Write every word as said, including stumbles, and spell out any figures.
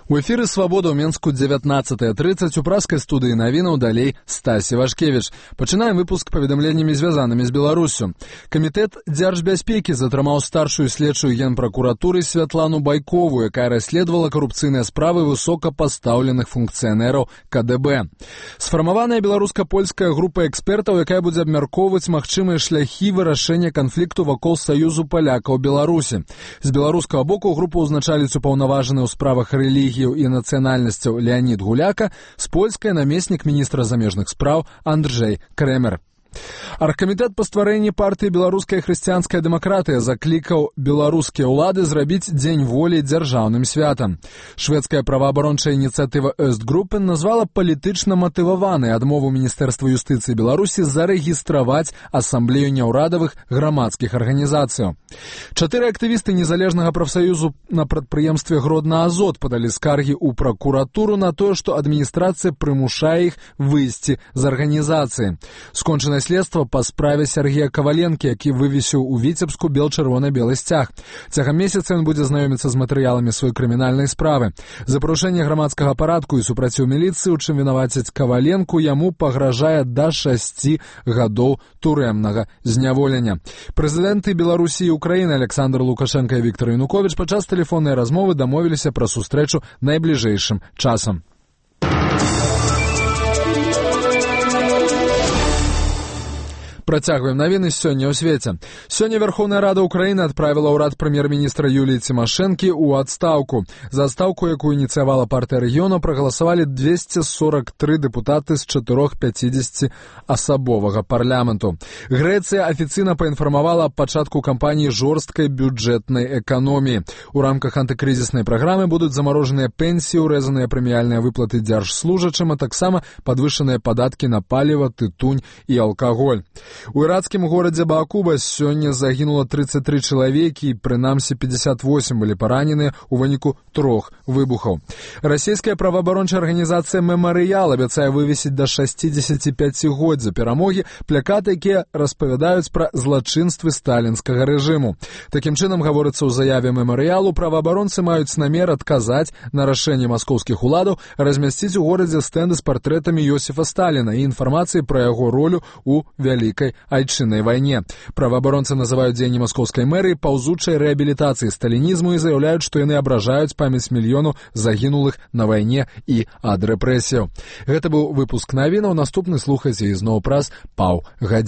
У эфіры «Свабода» ў Менску дзевятнаццатая трыццаць у праскай студыі навінаў далей Стасі Вашкевіч. Пачынаем выпуск паведамленнямі, звязанымі з Беларусю. Камітэт дзяржбяспекі затрымаў старшую следчую генпракуратуры Святлану Байкову, якая расследавала карупцыйныя справы высокапастаўленых функцыянераў ка дэ бэ. Сфармаваная беларуска-польская група экспертаў, якая будзе абмяркоўваць магчымыя шляхі вырашэння канфлікту вакол саюзу палякаў Беларусі. З беларускага боку групу ўзначаліць упаўнаважаны ў справах рэлігіі і нацыянальнасцяў Леонід Гуляка, з польскай намеснік міністра замежных спраў Андрзей Крэмер. Аргкамітэт па стварэнні партыі «Беларуская хрысціянская дэмакратыя» заклікаў беларускія ўлады зрабіць Дзень волі дзяржаўным святам. Шведская праваабарончая ініцыятыва «Östgruppen» назвала палітычна матываванай адмову Міністэрства юстыцыі Беларусі зарэгістраваць асамблею няўрадавых грамадскіх арганізацыяў. Чатыры актывісты незалежнага прафсаюзу на прадпрыемстве «Гродна-Азот» падалі скаргі ў пракуратуру на тое, што адміністрацыя прымушае іх выйсці з арганізацыі. Скончанае следства па справе Сергея Каваленкі, які вывесіў у Віцебску бел-чырвона-белы сцяг. Цягам месяца ён будзе знаёміцца з матэрыяламі сваёй крымінальнай справы. За парушэнне грамадскага парадку і супраціў міліцыі, у чым вінавацяць Каваленку, яму пагражае да шасці гадоў турэмнага зняволення. Прэзідэнты Беларусі і Украіны Александр Лукашенко і Віктор Януковіч падчас тэлефоннай размовы дамовіліся пра сустрэчу найбліжэйшым часам. Працягваем навіны сёння ў свеце. Сёння Верховная Рада Украіны адправіла ўрад прэм'ер-міністра Юліі Цімашэнкі ў адстаўку. За адстаўку, якую ініцыявала партыя рэгіёну, прагаласавалі двесце сорак тры дэпутаты з чатырох пяцідзесяці асабовага парламенту. Грэцыя афіцыйна паінфармавала аб пачатку кампаніі жорсткай бюджэтнай эканоміі. У рамках антыкрызіснай праграмы будуць замарожаныя пенсіі, урэзаныя прэміяльныя выплаты дзяржслужачым, а таксама падвышаныя падаткі на паліва, тытунь і алкаголь. У іракскім горадзе Баакуба сёння загінула трыццаць тры чалавекі і прынамсі пятьдесят восемь былі параненыя ў выніку трох выбухаў. Расійская праваабарончая арганізацыя «Мемарыял» абяцае вывесіць да шасцідзесяці пяці год за перамогі плакаты, якія распавядаюць пра злачынствы сталінскага рэжыму. Такім чынам, гаворыцца ў заяве «Мемарыялу», праваабаронцы маюць намер адказаць на рашэнне маскоўскіх уладаў размясціць у горадзе стэнды з партрэтамі Йосіфа Сталіна і інфармацыі пра яго ролю ў вялікай айчыннай вайне. Праваабаронцы называюць дзеянні маскоўскай мэрыі паўзучай рэабілітацыі сталінізму і заяўляюць, што яны абражаюць памяць мільёнаў загінулых на вайне і ад рэпрэсіяў. Гэта быў выпуск навінаў. Наступны слухайце ізноў праз паўгадзіны.